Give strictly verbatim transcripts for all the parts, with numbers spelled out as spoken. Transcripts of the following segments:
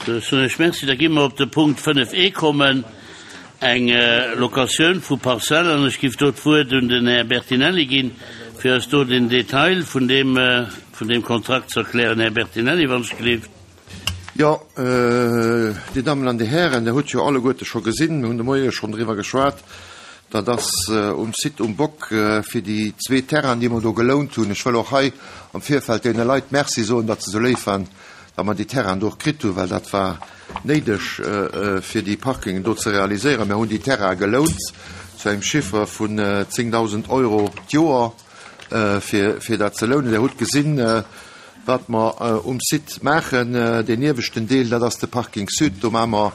Da soen ech Merci. Da gi mer op de Punkt fënnef e kommen, eng Locatioun vu Parzellen. An ech giff do d'Wuert un den Här Bertinelli ginn, fir eis do den Detail vun deem, vun deem Kontrakt ze erklären. Här Bertinelli, wann ech gelift. Jo, Dir Dammen an Dir Hären, Dir hutt jo alleguerte scho gesinn, mir hunn de Moie schonn driwwer geschwat, dat ass um Site um Bock fir déi zwee Terrainen, déi mer do gelount hunn. Ech wëll och hei am Virfeld deene Leit Merci soen, datt se esou léif waren, datt mer déi Terrainen do och kritt hunn, well dat war néideg, fir déi Parkingen do ze realiséieren. Mir hunn déi Terraine gelount zu engem Chiffre vun zéngdausend Euro d'Joer, fir, fir dat ze lounen. Dir hutt gesinn, wat mer um Site maachen. Deen ieweschten Deel, dat ass de Parking Sud. Do maache mer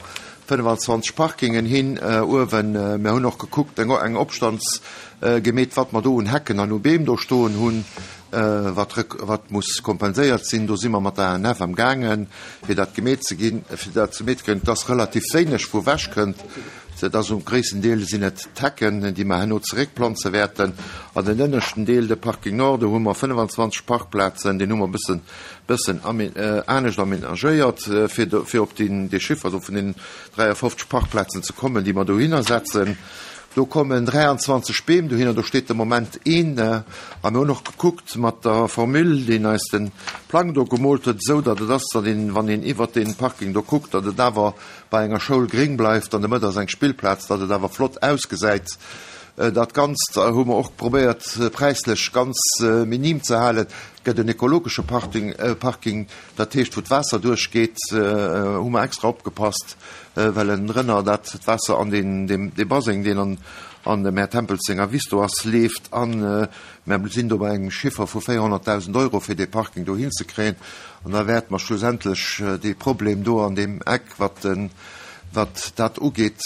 fënnefanzwanzeg Parkingen hin uewen. Mir hunn och gekuckt, eng, eng Opstands gemeet, wat mer do un Hecken an u Beem do stoen hunn, wat, wat muss kompenséiert sinn. Do si mer mat der A N F am gaangen, fir dat gemeet ze ginn, fir dat ze meet kréien. Et ass relativ wéineg, wou ewech kënnt. Dat ass um gréissten Deel sinn et d'Hecken, déi mer herno zeréckplanze wäerten. An den ënneschten Deel, de Parking Nord, do hu mer fënnefanzwanzeg Parkplazen, deen hu mer bëssen, bëssen anescht aménagéiert, fir do, fir op den, dee Chiffre do vun den dräiafofzeg Parkplazen ze kommen, déi mer dohinner setzen. Do kommen dräianzwanzeg Beem dohinner, do steet de Moment een. A mir hunn och gekuckt mat der Formule, deen eis den Plang do gemoolt huet, esou datt et ass, datt een, wann een iwwer den Parking do kuckt, datt et awer bei enger Schoul gréng bleift, an der Mëtt ass eng Spillplaz, datt et awer flott ausgesäit. Dat Ganzt hu mer och probéiert, präislech ganz minim ze halen. Et gëtt en ökologesche Parking, Parking, dat heescht, wou d'Waasser duerchgeet, hu mer extra opgepasst, well en Rënner dat d'Waasser an den, dem, de Baseng, deen an, an dem Här Tempels senger Wiss do ass, leeft. An mir sinn do bei engem Chiffer vu véierhonnertdausend Euro, fir dee Parking do hinzekréien. An da wäerte mer schlussendlech dee Problem do an deem Eck, wat den, wat dat ugeet,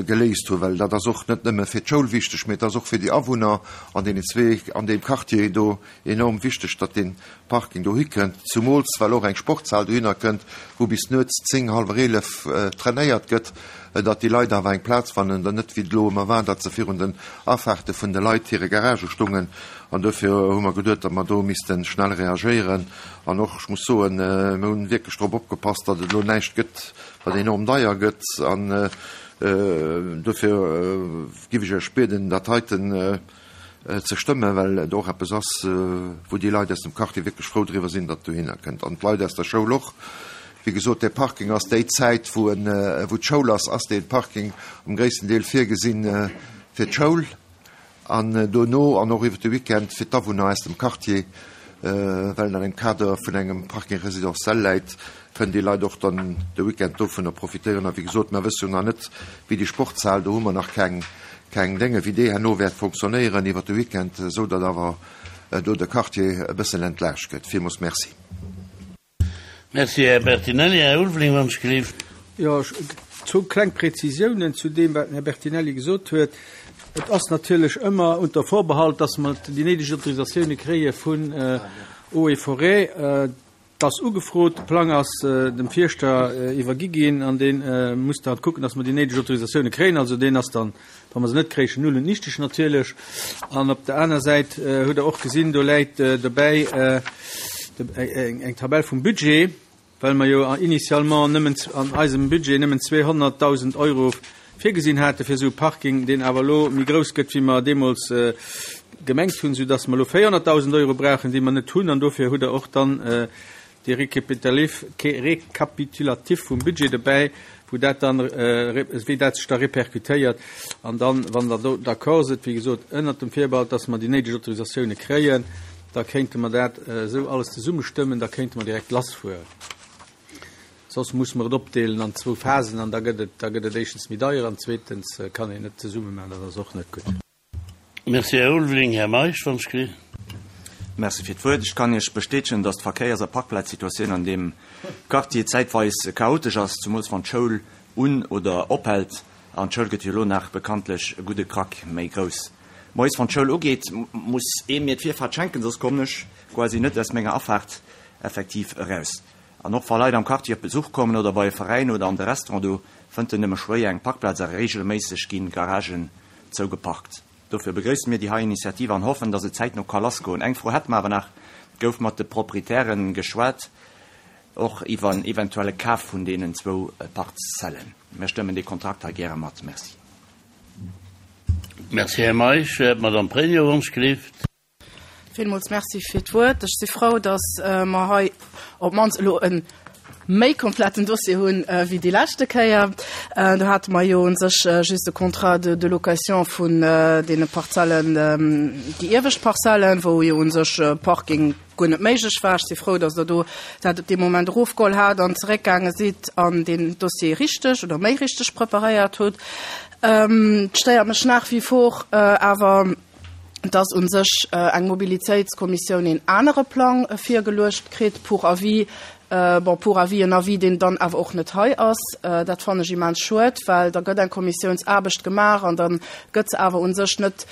geléist hunn, well dat ass och net nëmme fir d'Schoul wichteg, mee et ass och fir déi Awunner an deenen zwee, an deem Quartier do enorm wichteg, datt dee Parking do hikënnt, zumools well och eng Sportshal dohinner kënnt, wou bis nuets zéng, hallwer eelef trainéiert gëtt, datt déi Leit awer eng Plaz fannen, dann net wéi et elo ëmmer war, datt se virun den Afahrte vun de Leit hire Garagë stungen. An dofir hu mer geduet, datt mer do misste schnell reagéieren. An och, ech muss soen, mir hunn wierklech drop opgepasst, datt et elo näischt gëtt, wat enorm deier gëtt. An dofir giff ech Iech bieden, dat heiten ze stëmmen, well et och eppes ass, wou déi Leit aus dem Quartier wierklech frou driwwer sinn, datt dohinner kënnt. An d'Leit aus der Schoul och. Wéi gesot, dee Parking ass déi Zäit, wou en, wou d'Schoul ass, ass dee Parking am gréissten Deel virgesinn fir d'Schoul. An dono an och iwwer de Weekend fir d'Awunner aus dem Quartier, well en an engem Kader vun engem Parking résidentiel läit, kënnen déi Leit och dann de Weekend dovunner profitéieren. A wéi gesot, mir wësse jo nach net, wéi déi Sportshal, do hu mer nach keng, keng Dénge, wéi déi herno wäert fonctionnéieren iwwer de Weekend, esou datt awer do de Quartier e bëssen entlaascht gëtt. Villmools merci. Merci, Här Bertinelli. Här Ulveling, wann ech gelift. Jo, zwou kleng Präzisiounen zu deem, wat den Här Bertinelli gesot huet. Et ass natierlech ëmmer unter Vorbehalt, dass mer déi néideg Autorisatioune kréie vun Eaux et Forêts. Et ass ugefrot, de Plang ass dem Fierschter iwwergi ginn an dee muss dann kucken, dass mer déi néideg Autorisatioune kréien. Also deen ass dann, wa mer se net kréien, null und nichtig natierlech. An op der aner Säit hutt Der och gesinn, do läit dobäi eng Tabell vum Budget, well mer jo initialement nëmmen an eisem Budget nëmmen zweehonnertdausend Euro virgesinn hate fir esou e Parking, deen awer elo méi grouss gëtt, wéi mer deemools gemengt hunn, soudass mer elo véierhonnertdausend Euro brauchen, déi mer net hunn. An dofir hutt Der och dann dee Rekapitulatif vum Budget dobäi, wou dat dann, wéi dat sech da repercutéiert. An dann, wann der do d'accord sidd, wéi gesot, ënnert dem Virbehalt, dass mer déi néideg Autorisatioune kréien, da kéinte mer dat esou alles zesummestëmmen, da kéinte mer direkt lassfueren. Soss muss mer et opdeelen an zwou Phasen an da gëtt et, da gëtt et éischtens méi deier an zweetens kann een net zesumme maachen, dat ass och net gutt. Merci, Här Ulveling. Här Meisch, wann ech gelift. Merci fir d'Wuert. Ech kann Iech bestätegen, dass d'Verkéiers- a Parkplazsituatioun an deem Quartier zäitweis chaotesch ass, zumools wann d'Schoul un- oder ophält. An d'Schoul gëtt jo elo nach bekanntlech e gudde Krack méi grouss. Moies, wann d'Schoul ugeet, muss ee mir d'Virfahrt schenken, soss kommen ech quasi net aus menger Afaart effektiv eraus. An och wa Leit am Quartier op Besuch kommen oder bei e Veräin oder an de Restaurant, do fënnt en nëmme schwéier eng Parkplaz a regelméisseg ginn Garagen zougeparkt. Dofir begrëisse mir déi hei Initiativ an hoffen, dass et zäitno ka lassgoen. Eng Fro hätte mer awer nach, gouf mat de Proprietären geschwat, och iwwer en eventuelle Kaf vun deenen zwou Parzellen. Mir stëmmen dee Kontrakt hei gäre mat. Merci. Merci, Här Meisch. D'Madame Pregno, wann ech gelift. Villmools Merci fir d'Wuert. Ech si frou, dass mer hei op d'mannst elo e méi kompletten Dossier hunn wéi déi leschte Kéier. Do hate mer jo u sech just de Contrat de, de location vun deene Parzellen, déi iewescht Parzellen, wou jo u sech Parking guer net méiglech war. Ech si frou, dass Der do dat op dee Moment erofgeholl hat an zeréckgaange sidd an deen Dossier richteg oder méi richteg preparéiert hutt. Et stéiert mech nach wie vor awer, dass u sech eng Mobilitéitskommissioun een anere Plang virgeluecht kritt pour avis, bon, pour avis, en Avis, deen dann awer och net hei ass. Dat fannen ech immens schued, well da gëtt eng Kommissiounsaarbecht gemaach an da gëtt se awer u sech net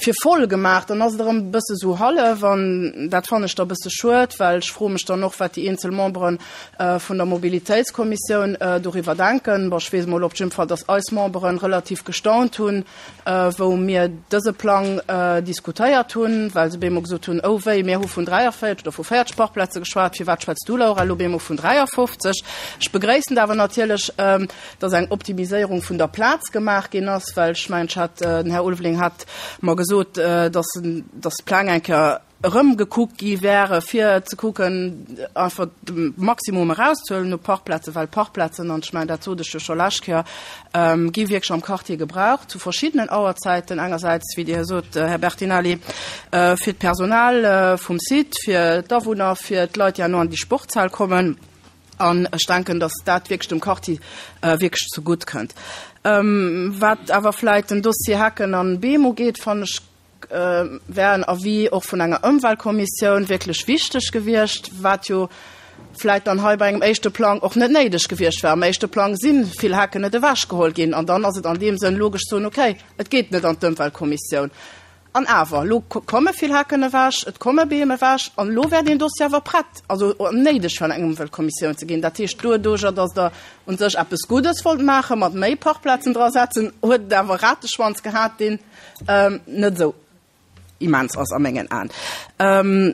fir voll gemaach, dann ass et erëm e bësse sou hallef an dat fannen ech da e bësse schued, well ech froe mech dann och, wat déi eenzel Membere vun der Mobilitéitskommissioun doriwwer denken. Bon, ech weess emol op jidde Fall, dass eis Membere relativ gestaunt hunn, wou mir dëse Plang diskutéiert hunn, well se bemol gesot hunn, Oh wéi, mir hu vun dräiavéierteg oder vu véierteg Parkplaze geschwat, firwat schwätz du, Laura, elo bemol vun dräiafofzeg? Ech begréissen et awer natierlech, dass eng Optimiséierung vun der Plaz gemaach ginn ass, well ech mengen, ech hat, den Här Ulveling hat mer gesot, dass, dass d'Pläng eng Kéier erëmgekuckt gi wäre fir ze kucken, einfach de Maximum erauszehuelen u Parkplazen, well Parkplazen, an ech mengen, dat sot ech jo scho lescht Kéier, gi wierklech am Quartier gebraucht zu verschiddenen Auerzäiten, engersäits, wéi Dir sot, Här Bertinelli, fir d'Personal vum Site, fir d'Awunner, fir d'Leit, déi herno an déi Sportshal kommen. An ech denken, dass dat wierklech dem Quartier wierklech zegutt kënnt. Wat awer vläicht den Dossier Hecken an Beem ugeet, fannen ech, wär en Avis och vun enger Ëmweltkommissioun wierklech wichteg gewiescht, wat jo vläicht dann hei bei engem éischte Plang och net néideg gewiescht wär. Am éischte Plang si vill Hecken net ewechgeholl ginn an dann ass et an deem Sënn logesch ze soen, okay, et geet net an d'Ëmweltkommissioun. An awer, elo komme vill Hecken ewech, et komme Beem ewech, an elo wär deen Dossier awer prett, also néideg fir an eng Ëmweltkommissioun ze ginn. Dat heescht, doduerjer, datt Der u sech eppes Guddes wollt maachen, mat méi Parkplazen drasetzen, huet et awer e Rateschwanz gehat, deen net esou immens ass a mengen Aen.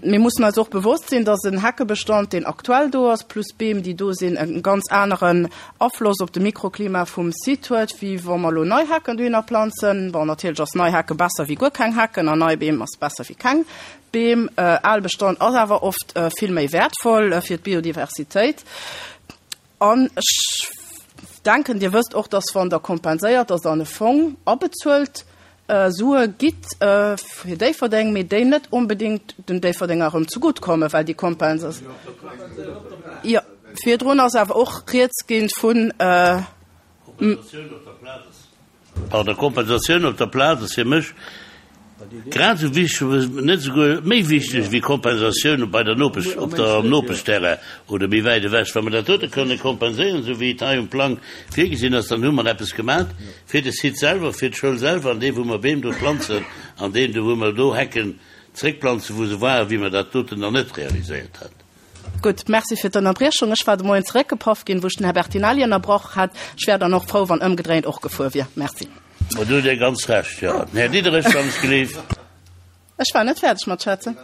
Mir mussen eis och bewosst sinn, dass en Heckebestand, deen aktuell do ass, plus Beem, déi do sinn, e ganz aneren Afloss op de Mikroklima vum Site huet, wéi wa mer elo nei Hecken dohinner planzen. Bon, natierlech ass nei Hecke besser wéi guer keng Hecken an nei Beem ass besser wéi keng Beem. Al Bestand ass awer oft vill méi wäertvoll fir d'Biodiversitéit. An ech denken, Dir wësst och, dass wann Der kompenséiert, dass Der an e Fong abezuelt Sue gitt fir Déifferdeng, mee déi net onbedéngt den Déifferdenger erëm zegutt kommen, well déi Kompensatioun, jo, virdrun ass awer och rieds gi vun. Pardon, Kompensatioun op der Plaz ass fir mech grad esou wichteg, net esouguer méi wichteg wéi Kompensatioun bei der Nopesch, op der, am Nopeschterrain oder méi wäit ewech. Wa mer dat dote kënne kompenséieren, esou wéi et hei um Plang virgesinn ass, dann hu mer eppes gemat fir de Site selwer, fir d'Schoul selwer, an dee wou mer Beem do planzen an deen do wou mer do Hecken zréckplanzen, wou se waren, wéi mer dat doten nach net realiséiert haten. Gutt, Merci fir d'Ënnerbriechung. Ech war de Moien zeréckgepaff ginn, wou ech den Här Bertinelli ënnerbrach hat. Ech wär dann och frou, wann ëmgedréint och gefuer wier. Merci. Ma do hutt Dir ganz Recht, jo. Den Här Diderich, wann ech gelift. Ech war net fäerdeg mat schwätzen.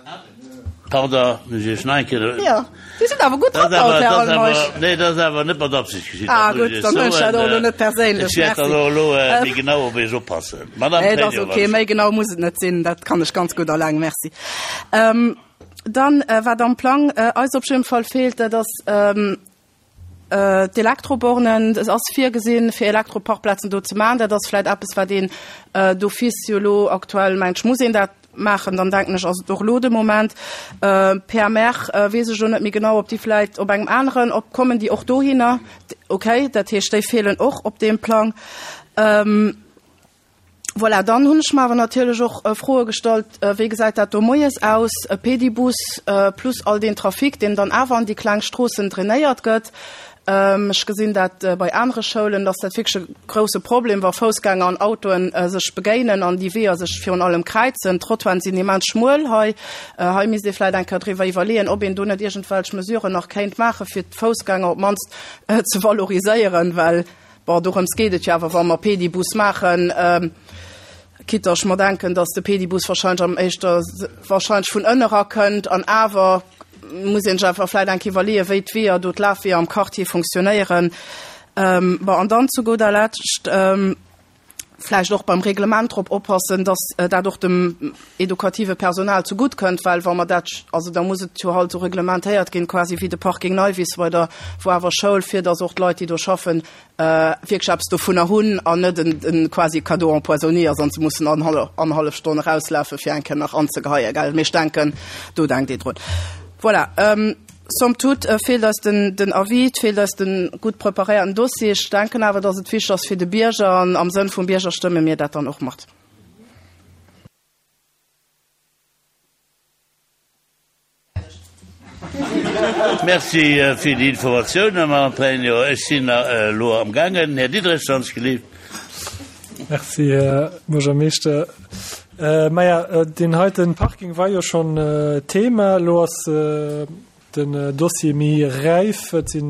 Pardon, muss ech Iech nach eng Kéier. Jo, Dir sidd awer gutt Dat ass drop haut, awer, Här dat ass Almeisch. awer, nee, dat ass awer net mat Absicht geschitt, Ah, dat muss gutt, ech Iech dann huelen ech dat och elo soen. net perséinlech. Ech wäert dann Merci. och elo méi genau op Iech oppassen. Madame Nee, dat ass Pregno, okay. wann Méi ech. genau muss et net sinn. Dat kann ech ganz gutt alleng. Merci. Dann, wat am Plang eis op jidde Fall feelt, dat ass d'Elektrobornen. Et ass virgesinn, fir Elektroparkplazen do ze maachen. Dat ass vläicht eppes, wat een d'office jo elo aktuell, mengt ech, muss een dat maachen. Dann denken ech, ass et och elo de Moment. P M R weess ech elo net méi genau, ob déi vläicht op engem aneren, ob kommen déi och dohinner. Okay, dat heescht, déi feelen och op deem Plang. Voilà, dann hunn ech mer awer natierlech och Froe gestallt, wéi gesäit dat do moies aus, e Pedibus plus all deen Trafic, deen dann awer an déi kleng Stroossen drainéiert gëtt. Ech gesinn dat bei anere Schoulen, dass dat wierklech e grouse Problem, wa Foussgänger an Autoen sech begéinen an déi Weeër sech virun allem kräizen. D'Trottoiren sinn immens schmuel hei. Hei misst ee vläicht eng Kéier driwwer iwwerleeën, ob een do net iergendwelch Mesuren nach kéint maachen, fir d'Foussgänger op d'mannst ze valoriséieren, well Bon, dorëms geet et jo awer, wa mer Pedibus maachen, quitte ech mer denken, datt de Pedibus wahrscheinlech am éischter wahrscheinlech vun ënne erakënnt an awer Muss een sech einfach vläicht eng Kéier iwwerleeën, wéi d'Weeër do, d'Lafweeër am Quartier funktionéieren. Bon, an dann zu gudder Lescht vläicht och beim Reglement drop oppassen, dass dat och dem edukative Personal zegutt kënnt, well wa mer dat, also da muss et jo halt esou reglementéiert ginn, quasi wéi de Parking Neiwiss bei der, wou awer Schoul, fir dass och d'Leit, déi do schaffen, wierklech eppes dovunner hunn an net en quasi Cadeau empoisonné ass an se mussen annerhallef Stonn erauslafe fir eng Kéier nach anzegeheien, gell. Mee ech denken, do denkt ee drun. Voilà. Somme toute feelt eis den den Avis, et feelt eis de gutt preparéierten Dossier. Ech denken awer, dass et wichteg ass fir de Bierger an am Sënn vum Bierger stëmme mir dat dann och mat. Merci fir déi Informatiounen, Mme Antonio. Ech sinn elo amgaangen. Här Diderich, wann ech gelift. Merci, Här Buergermeeschter. Maja, deen heiten Parking war jo schonn Thema. Elo ass den Dossier méi räif. Et si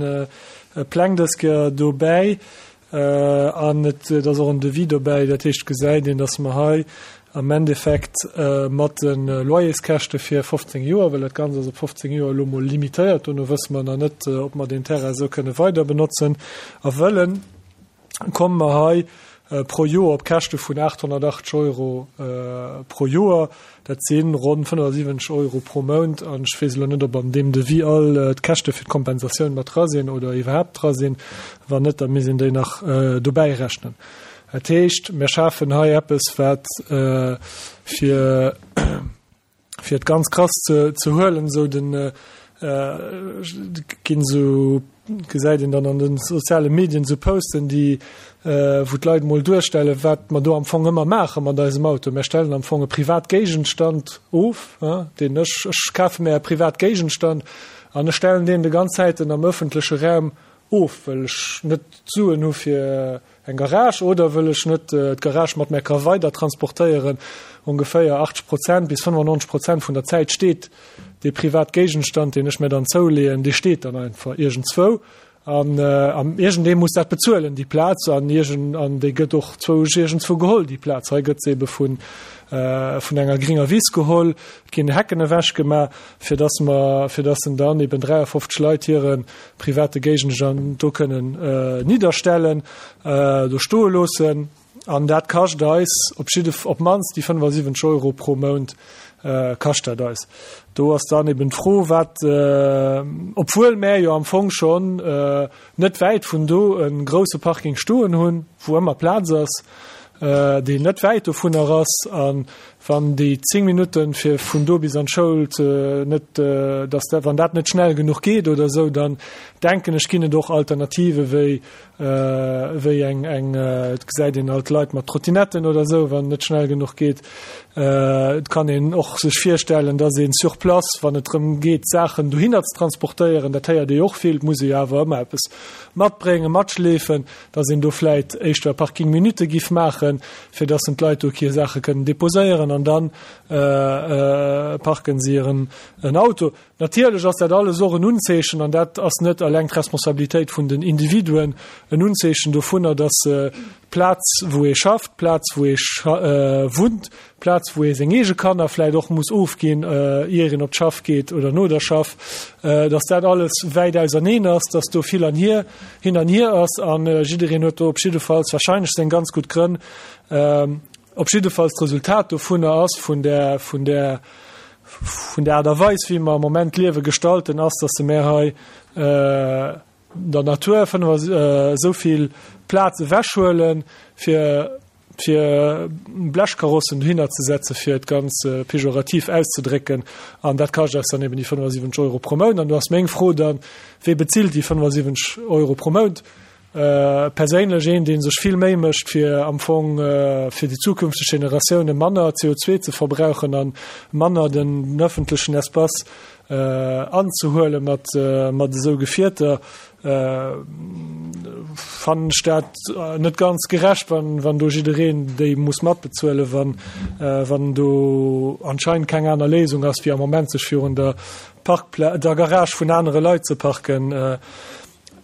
Pläng dës Kéier dobäi an et ass och en Devis dobäi. Dat heescht, et gesäit een, datt mer hei am Endeffekt mat de Loyerskäschte fir fofzéng Joer, well dat Ganzt ass op fofzéng Joer elo mol limitéiert, dono wësse mer nach net, ob mer deen Terrain esou kënne weider benotzen a wëllen, komme mer hei pro Joer op Käschte vun aathonnertachtzeg Euro pro Joer. Dat si ronn fënnefasiwwenzeg Euro pro Mount. An ech weess elo net, ob an deem Devis all d'Käschte fir d'Kompensatioun mat dra sinn oder iwwerhaapt dra sinn. Wann net, da misst een déi nach dobäi rechnen. Dat heescht, mir schafen hei eppes, wat fir fir et ganz krass ze ze huelen, esou den ginn esou gesäit een dann an de soziale Medien esou Posten, déi wou d'Leit mol duerstellen, wat mer do am Fong ëmmer maache mat eisem Auto. Mir stellen am Fong e Privatgéigenstand of, deen ech ech kafe mir e Privatgéigenstand an ech stellen deen de ganz Zäiten am ëffentleche Raum of, well ech net d'Suen hu fir eng Garage oder wëll ech net d'Garage mat mär ka weider transportéieren. Ongeféier achtzeg Prozent bis fënnefannonzeg Prozent vun der Zäit steet dee Privatgéigenstand, deen ech mär dann zouleeën, dee steet dann einfach iergendzwou an iergendee muss dat bezuelen, déi Plaz, an iergend an déi gëtt och zwousch iergendzwou geholl, déi Plaz. Hei gëtt se ebe vun vun enger gringer Wiss geholl, et ginn Hecken ewechgemaach, fir dass mer, fir dass en dann eben dräiafofzeg Leit hire private Géigenstand do kënnen nidderstellen, do stoe loossen. An dat kascht eis op jidde, op d'mannst déi fënnefasiwwenzeg Euro pro Mount kascht dat eis. Do ass dann eben d'Fro, wat, obwuel mär jo am Fong schonn net wäit vun do e grouse Parking stoen hunn, wou ëmmer Plaz ass, deen net wäit dovunner ass, a wann déi zéng Minutten, fir vun do bis an d'Schoul ze, net, dass dat, wann dat net schnell genuch geet oder esou, dann denken ech, ginn et och Alternative wéi, wéi eng, eng, et gesäit een alt Leit mat Trottinetten oder esou, wann et net schnell genuch geet. Et kann een och sech virstellen, dass een sur place, wann et drëm geet, Saachen dohinner ze transportéieren, dat héiert ee jo och vill, et muss ee jo awer ëmmer eppes matbréngen, matschleefen, dass een do vläit éischter Parking minute giff maachen, fir dass en d'Leit do hir Saache kënnen déposéieren an dann parken se hiren Auto. Natierlech ass dat alles och en Unzeechen, an dat ass net eleng d'Responsabilitéit vun den Individuen, en Unzeechen dovunner, dass d'Plaz, wou ee schafft, d'Plaz, wou ee wunnt, d'Plaz, wou ee seng eege Kanner vläicht och muss ofginn, ier een op d'Schaff geet oder no der Schaff, dass dat alles wäit auserneen ass, dass do vill an hier, hin an hier ass. A jiddereen huet do op jiddefalls wahrscheinlech seng ganz gutt Grënn. Op jiddefalls d'Resultat dovunner ass, vun där, vun där, vun der Aart a Weis, wéi mer am Moment d'Liewe gestalten, ass, dass se mär hei der Natur esou vill Plaz ewechhuelen, fir, fir Blechkarossen dohinner ze setzen, fir et ganz pejorativ auszedrécken. An dat kascht eis dann eben déi fënnefasiwwenzeg Euro pro Mount. An do ass meng Fro dann, Wee bezilt déi fënnefasiwwenzeg Euro pro Mount? Perséinlech een, dee sech vill Méi mécht, fir am Fong fir déi zukünfteg Generatioune manner C O zwee ze verbrauchen a manner den ëffentlechen Espace anzehuele mat mat esou Gefierter, fannen ech dat net ganz gerecht, wann wann do jiddereen déi muss matbezuelen, wann wann do anscheinend keng aner Léisung ass, wéi am Moment sech virun der Parkpla der Garage vun anere Leit ze parken.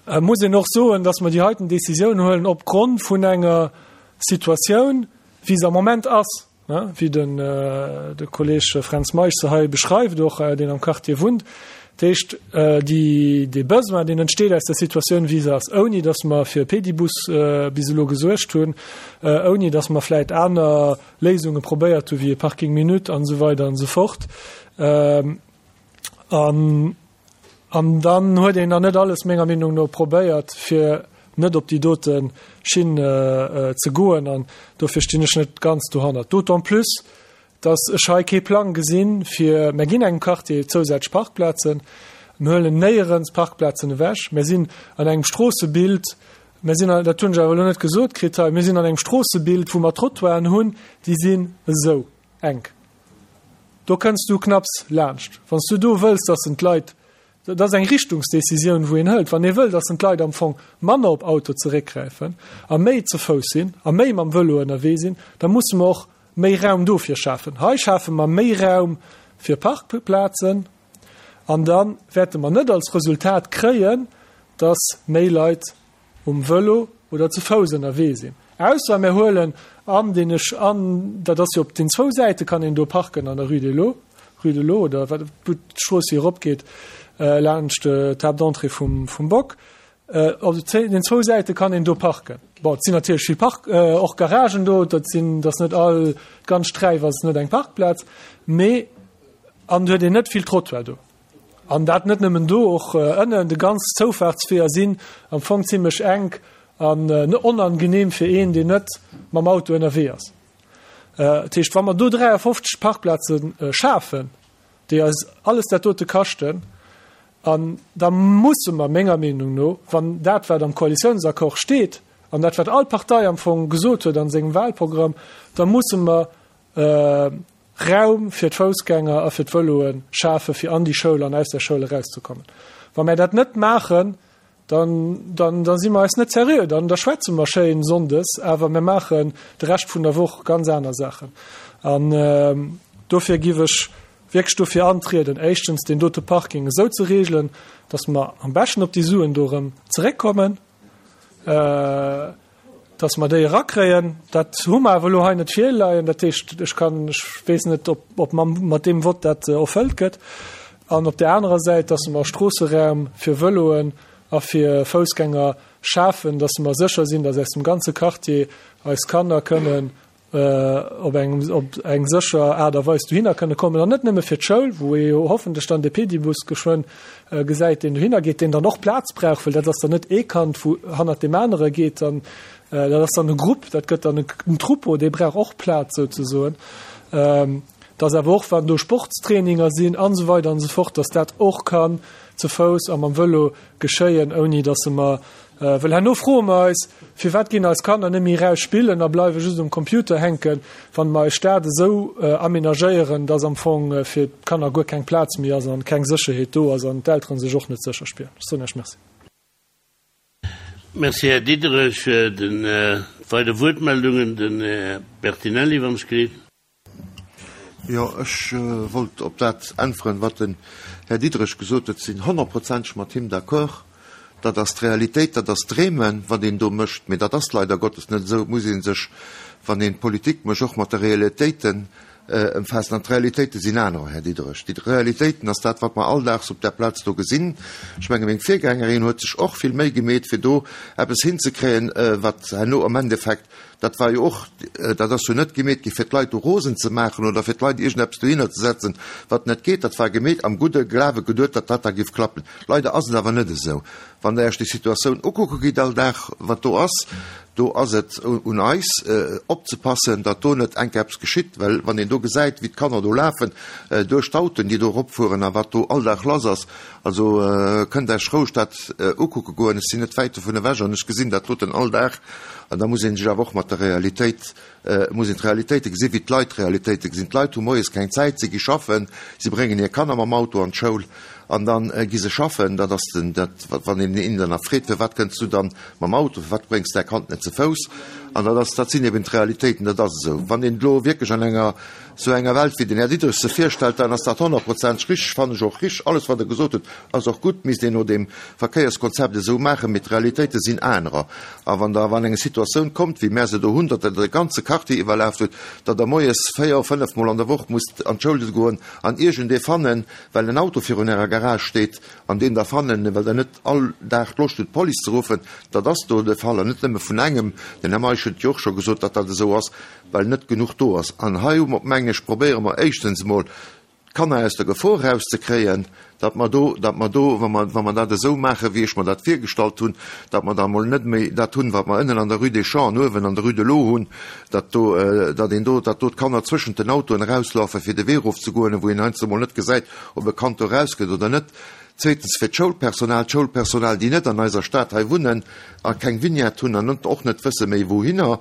Et muss een och soen, dass mer déi heiten Décisioun huelen opgrond vun enger Situatioun, wéi se am Moment ass, wéi den de Kolleg Fränz Meisch se hei beschreift, och deen am Quartier wunnt. Dat heescht, déi, dee Besoin, deen entsteet aus der Situatioun, wéi se ass, ouni datt mer fir e Pedibus bis elo gesuergt hunn, ouni datt mer vläicht aner Léisunge probéiert hu wéi e Parking minute an esou weider an esou fort. An, an dann huet een nach net alles, menger Meenung no, probéiert, fir net op déi dote Schinn ze goen. An dofir stinn ech net ganz dohannert. D'autant plus, dass ech hei kee Plang gesinn, fir, mer ginn engem Quartier zousätzlech Parkplazen, mer huelen néierens Parkplazen ewech, mer sinn an engem Stroossebild, mer sinn, dat hunn ech awer elo net gesot kritt hei, mir sinn an engem Stroossebild, wou mer Trottoiren hunn, déi sinn esou enk. Do kënns du knapps laanscht. Wann s du do wëlls, dass en d'Leit, dat ass eng Richtungsdecisioun, wou een hëlt, wann ee wëll, dass en d'Leit am Fong manner op Auto zeréckgräifen a méi ze Fouss sinn a méi mam Vëlo ënnerwee sinn, da musse mer och méi Raum dofir schafen. Hei schafe mer méi Raum fir Parkplazen an da wäerte mer net als Resultat kréien, dass méi Leit um Vëlo oder ze Fouss ënnerwee sinn. Ausser mir huelen an deen ech an, dat ass jo op den zwou Säite kann een do parken an der Rue de l'Eau, Rue de l'Eau oder wat, wou d'Strooss hier eropgeet laanscht d'Table d'entrée vum, vum Bock. Op den zwou Säite kann een do parken. Bon, et sinn natierlech vill Park, och Garagen do, dat sinn, dat ass net all, d'ganz Sträif ass net eng Parkplaz, mee an huet een net vill Trottoir do. An dat net nëmmen do, och ënnen, de ganz Zoufaartsweeër sinn am Fong zimlech enk an onangenehm fir een, deen net mam Auto ënnerwee ass. Dat heescht, wa mer do dräiafofzeg Parkplaze schafen, déi eis alles dat dote kaschten, an da musse mer menger Meenung no, wann dat, wat am Koalitiounsaccord steet, an dat, wat all Partei am Fong gesot huet an sengem Wahlprogramm, da musse mer Raum fir d'Foussgänger a fir d'Vëloe schafe fir an déi Schoul an aus der Schoul erauszekommen. Wa mer dat net maachen, dann, dann, da si mer eis net seriö, dann da schwätze mer schéin sonndes, awer mir maachen de Rescht vun der Woch ganz aner Saachen. An dofir giff ech wierklech dofir antrieden, éischtens deen dote Parking esou ze regelen, dass mer am beschten op déi Suen do erëm zeréckkommen, dass mer déi erakréien. Dat hu mer awer elo hei net virleien. Dat heescht, ech kann, ech weess net, ob, ob mam, mat deem Vott dat erfëllt gëtt. An op där anerer Säit, dass mer Stroosseraum fir Vëloen a fir Foussgänger schafen, dass mer sécher sinn, dass aus dem ganze Quartier eis Kanner kënnen op eng, op eng sécher Aart a Weis dohinner kënne kommen. An net nëmme fir d'Schoul, wou ee jo hoffentlech dann de Pedibus geschwënn gesäit, deen dohinner geet, deen dann och Plaz brauch, well dat ass dann net ee Kand, wou hannert deem anere geet, dann, dat ass dann e Grupp, dat gëtt dann en Troupeau, dee brauch och Plaz souzesoen. Dass awer och, wann do Sportstraininger sinn an esou weider an esou fort, dass dat och kann ze Fouss a mam Vëlo geschéien, ouni dass se mer Well herno froe mer eis, Firwat ginn eis Kanner net méi eraus spillen a bleiwe just um Computer hänken, wann mer eis Stad esou amenagéieren, dass am Fong fir d'Kanner guer keng Plaz méi ass an keng Sécherheet do ass an d'Eltere sech och net sécher spieren? Ech soen Iech Merci. Merci, Här Diderich. Den weider Wuertmeldungen, den Här Bertinelli, wann ech gelift. Jo, ech wollt op dat äntweren, wat den Här Diderich gesot huet. Sinn honnertprozenteg mat him d'accord. Dat ass d'Realitéit, dat ass d'Dreemen, wat een do mécht. Mee dat ass leider Gottes net esou. Et muss ee sech, wann een Politik mécht, och mat de Realitéiten ëmfaassen. An d'Realitéite sinn anerer, Här Diderich. Déi Realitéiten ass dat, wat mer alldaags op där Plaz do gesinn. Ech menge meng Virgängerin huet sech och vill Méi gemeet, fir do eppes hinzekréien, wat herno am Endeffekt, dat war jo och, dat ass jo net gemeet gi fir d'Leit do rosen ze maachen oder fir d'Leit iergendeppes dohinner ze setzen, wat net geet. Dat war gemeet am gudde Glawe geduet, datt dat da géif klappen. Leider ass et awer net esou. Wann Der Iech déi Situatioun ukucke gitt all Dag, wat do ass, do ass et un eis opzepassen, datt do net enk eppes geschitt, well wann een do gesäit, wéi d'Kanner do lafen duerch d'Autoen, déi do eropfueren a wat do all Dag lass ass, also kënnt Iech roueg dat ukucke goen. Ech sinn net wäit dovun ewech an ech gesinn dat doten all Dag. An da muss ee sech awer och mat der Realitéit, muss een d'Realitéite gesinn, wéi d'Leit d'Realitéite gesinn. D'Leit hu moies keng Zäit, si gi schaffen, si bréngen hir Kanner mam Auto an d'Schoul an dann gi se schaffen. Dat ass den, dat, wann een een dann nach freet, Firwat kënns du dann mam Auto, firwat bréngs däi Kand net ze Fouss? An dat ass, dat sinn eben d'Realitéiten, dat ass esou. Wann een elo wierklech an enger sou enger Welt, wéi den Här Diderich se virstellt, dann ass dat honnertprozenteg richtig, fannen ech och richtig. Alles, wat e gesot huet, ass och gutt, misst een no deem Verkéierskonzept esou maachen, mee d'Realitéite sinn anerer. A wann Der an eng Situatioun kommt, wéi mär se do hunn, datt Der de ganze Quartier iwwerlaaft hutt, datt Der moies véier, fënnef Mol an der Woch musst an d'Schoul goen an iergendee fannen, well en Auto virun Ärer Garage steet, an deen Der fannen, well Der net all Dag d'Loscht hutt, d'Police ze ruffen, dat ass do de Fall, an net nëmme vun engem, den Här Meisch huet jo och scho gesot, datt dat esou ass, well net genuch do ass. An hei hu mer, mengen ech, probéiere mer éischtens emol, d'Kanner aus der Gefor erauszekréien, datt mer do, datt mer do, wa mer, wa mer dat esou maachen, wéi ech mer dat virgestallt hunn, datt mer da emol net méi dat hunn, wat mer ënnen an der Rue des Champs an uewen an der Rue de l'Eau hunn, datt do, datt een do, datt do d'Kanner zwëschent den Autoen erauslafen, fir de Wee erofzegoen, wou een heiansdo emol net gesäit, ob e Kand do erausgeet oder net. Zweetens fir d'Schoulpersonal, d'Schoulpersonal, déi net an eiser Stad hei wunnen a keng Vignette hunn an och net wësse méi wouhinner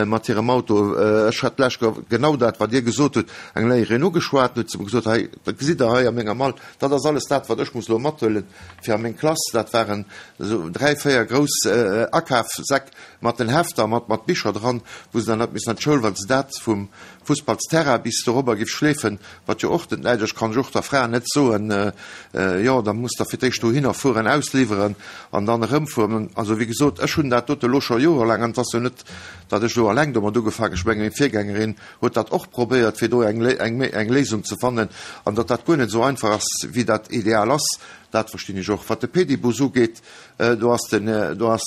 mat hirem Auto. Ech hat d'lescht Joer genau dat, wat Dir gesot hutt, eng Léierin ugeschwat, huet se mer gesot, hei, dat gesitt Der hei a menger Mall, dat ass alles dat, wat ech muss elo mathuelen fir a meng Klass. Dat waren esou dräi, véier grouss Akafsäck mat den Hefter, mat, mat Bicher dran, wou se dann hat missen an d'Schoul, well se dat vum Fussballsterrain bis dorobber giff schleefen, wat jo och net läit. Ech kann och der Fra net soen, jo, da musst Der fir d'éischt dohinner fueren, ausliwweren an dann erëmfueren. Also, wéi gesot, ech hunn dat dote elo scho jorelaang, an et ass jo net, datt ech elo alleng domat ugefaangen, ech mengen, meng Virgängerin huet dat och probéiert, fir do eng, eng, eng Léisung ze fannen, an datt dat guer net esou einfach ass, wéi dat ideal ass, dat verstinn ech och. Wat de Pedibus ugeet, do ass den, do ass,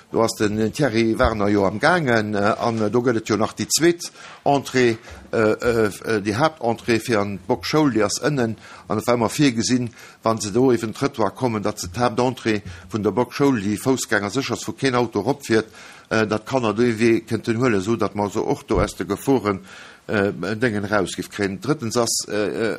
do ass den Thierry Werner jo am gaangen, an do gëtt et jo nach déi zweet Entrée, déi Haaptentrée fir an d'Bock-Schoul, déi ass ënnen, an et war ëmmer virgesinn, wa se do iwwen den Trëttoir kommen, datt se d'Haaptentrée vun der Bock-Schoul, déi foussgängersécher ass, wou keen Auto eropfiert, datt d'Kanner dee Wee kënnten huelen, esou datt mer also och do aus de Geforen Déngen eraus giff kréien. Drëttens ass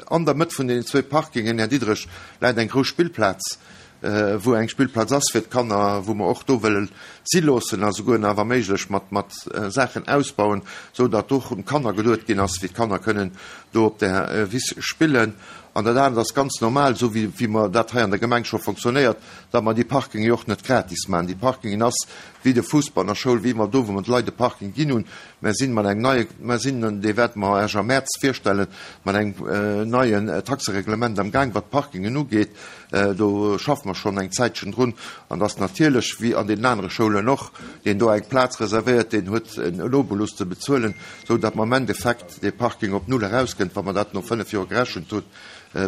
an der Mëtt vun deenen zwee Parkingen, Här Diderich, läit eng grouss Spillplaz, wou eng Spillplaz ass fir d'Kanner, wou mer och do wëlle si loossen a souguer nach wa méiglech mat mat Saachen ausbauen, esou datt och un d'Kanner geduet ginn ass, wéi d'Kanner kënnen do op där Wiss spillen. An dat anert ass ganz normal, esou wéi wéi mer dat hei an der Gemeng scho fonctionnéiert, datt mer déi Parkinge jo och net gratis maachen. Déi Parkingen ass wéi de Fussball an der Schoul, wéi mer do, wou mer de Leit de Parking ginn hunn. Mer sinn mat engem neie, mer sinn, dee wäerte mer Iech am Mäerz virstellen, mat engem neien Taxereglement am Gaang, wat d'Parkingen ugeet. Do schaffe mer schonn eng Zäitchen drun. An dass natierlech, wéi an deenen anere Schoulen och, deen do eng Plaz reservéiert, deen huet en Obolus ze bezuelen, esou datt mer am Endeffekt dee Parking op null erauskënnt, wa mer dat no fënnef Joer gerechent hunn,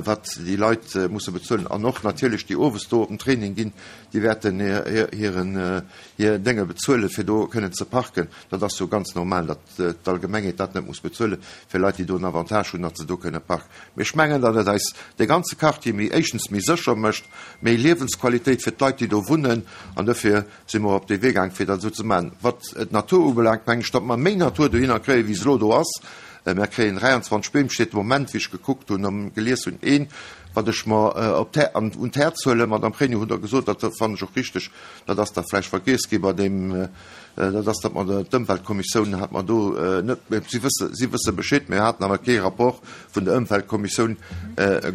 wat déi Leit musse bezuelen. An och natierlech déi owes do op den Training ginn, déi wäerten hiren hir Dénge bezuelen, fir do kënnen ze parken. Dat ass jo ganz normal, datt d'Allgemengheet dat net muss bezuelen, fir Leit, déi do en Avantage hunn, datt se do kënne parken. Mee ech mengen, datt et eis dee ganze Quartier méi, éischtens méi sécher mécht, méi Liewensqualitéit fir d'Leit, déi do wunnen. An dofir si mer op dee Wee gaang, fir dat esou ze maachen. Wat d'Natur ubelaangt, mengen ech, datt mer méi Natur dohinner kréien, wéi se elo do ass. Mer kréien dräianzwanzeg Beem, steet de Moment, wéi ech gekuckt hunn a gelies hunn, een, wat ech mer op d'Här, an, un d'Häerz huelen. Madame Pregno, hutt Der gesot, dat fannen ech och richteg, dat ass da vläicht vergiess gi bei deem, dat ass, datt mer d'Ëmweltkommissioun hat mer do net, si wësse, si wësse Bescheed, mir haten awer kee Rapport vun der Ëmweltkommissioun